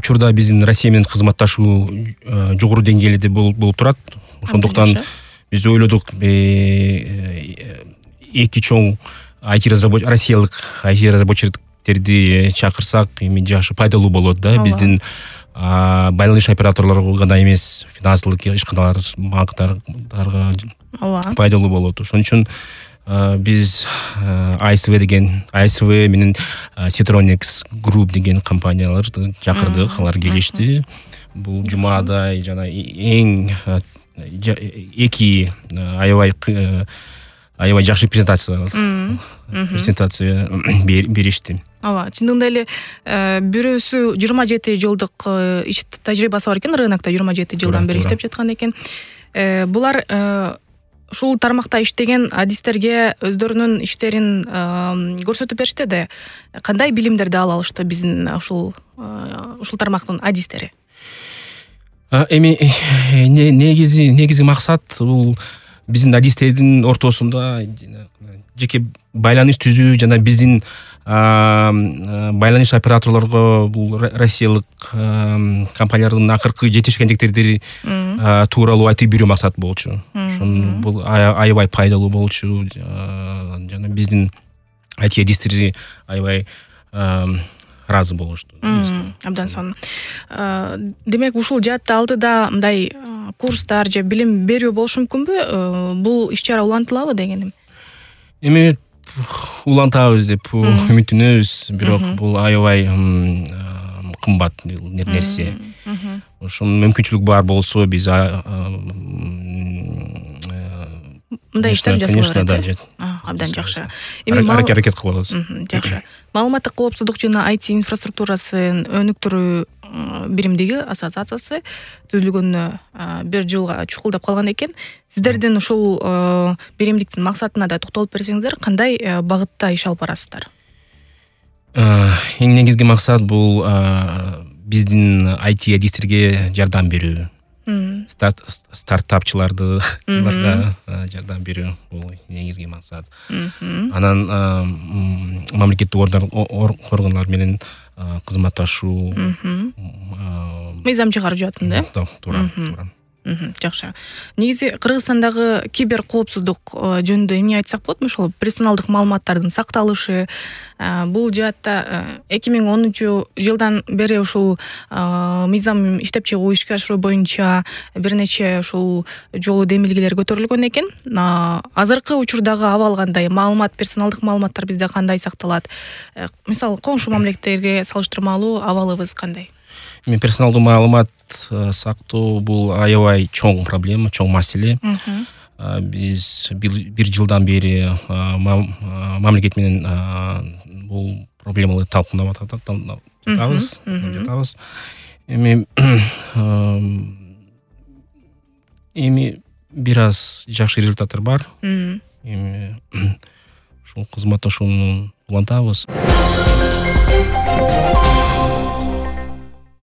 учурда биздин Россия менен кызматташуу жогору деңгээлде болуп турат. Ошондуктан биз ойлодук эки чоң россиялык IT разработчиктерди чакырсак эми жакшы пайдалуу болот да. Биздин байланыш операторлорго гана эмес, финансылык ишканалар, банктарга пайдалуу болот. Ошон үчүн биз ISV менен Citronics Group деген компанияларды чакырдык. Алар келишти. Бул жумада жана эң эки аябай жакшы презентация беришти. Чындыгында эле бирөөсү 27 жылдык иш тажрыйбасы бар экен, рынокто 27 жылдан бери иштеп жаткан экен. Булар ушул тармакта иштеген адистерге өздөрүнүн иштерин көрсөтүп беришти да. Кандай билимдерди ала алышты биздин ушул тармактын адистери? Эми негизги максат бул биздин адистердин ортосунда жеке байланыш түзүү жана биздин байланыш операторлорго бул россиялык компаниялардын акыркы жетишкендиктерди тууралуу айтып берүү максат болчу. Ошон бул аябай пайдалуу болчу. Жана биздин IT адистери аябай разы болушту. Абдан сонун. Демек ушул жаатта алдыда мындай курстар же билим берүү болушу мүмкүнбү? Бул иш-чара улантылабы дегеним? Эми улантабыз деп үмүттөнөбүз, бирок бул аябай кымбат нерсе. Ошон мүмкүнчүлүк бар болсо биз мындай иштер жасалат. Абдан жакшы. Эми аракет кылабыз. Жакшы. Маалыматтык коопсуздук жана IT инфраструктурасын өнүктүрүү биримдиги ассоциациясы түзүлгөнүнө 1 жылга чукулдап калган экен. Сиздердин ушул биримдиктин максатына да токтолуп берсеңиздер, кандай багытта иш алып барасыздар? Эң негизги максат бул биздин IT адистерге жардам берүү. Стартапчыларга жардам берүү бул негизги максат. Анан мамлекеттик органдар менен кызматташуу, мыйзам чыгарып жатат да? Туура. Жакшы. Негизи Кыргызстандагы кибер коопсуздук жөнүндө эмне айтсак болот? Ошол персоналдык маалыматтардын сакталышы, бул жаатта 2010 жылдан бери ушул мыйзам иштеп чыгуу, ишке ашыруу боюнча бир нече ушул жолу демилгелер көтөрүлгөн экен. Азыркы учурдагы абал кандай? Персоналдык маалыматтар бизде кандай сакталат? Мисалы, коңшу мамлекеттерге салыштырмалуу абалыбыз кандай? Персоналдуу маалымат сактоо бул аябай чоң проблема, чоң маселе. Биз 1 жылдан бери мамлекет менен бул проблеманы талкуулап жатабыз. Эми бир аз жакшы результаттар бар. Эми ушул кызматташууну улантабыз.